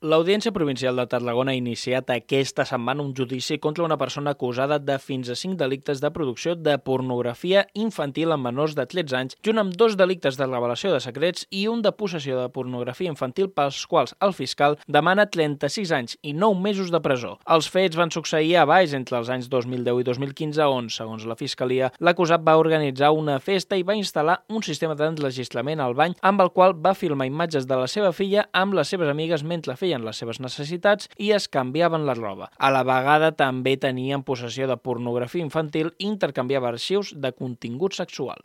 L'Audiència Provincial de Tarragona ha iniciat aquesta setmana un judici contra una persona acusada de fins a 5 delictes de producció de pornografia infantil amb menors de 13 anys, junt amb 2 delictes de revelació de secrets i un de possessió de pornografia infantil pels quals el fiscal demana 36 anys i 9 mesos de presó. Els fets van succeir a Valls entre els anys 2010 i 2015, on, segons la Fiscalia, l'acusat va organitzar una festa i va instal·lar un sistema d'enregistrament al bany amb el qual va filmar imatges de la seva filla amb les seves amigues mentre feien les seves necessitats i es canviaven la roba. A la vegada també tenien possessió de pornografia infantil i intercanviava arxius de contingut sexual.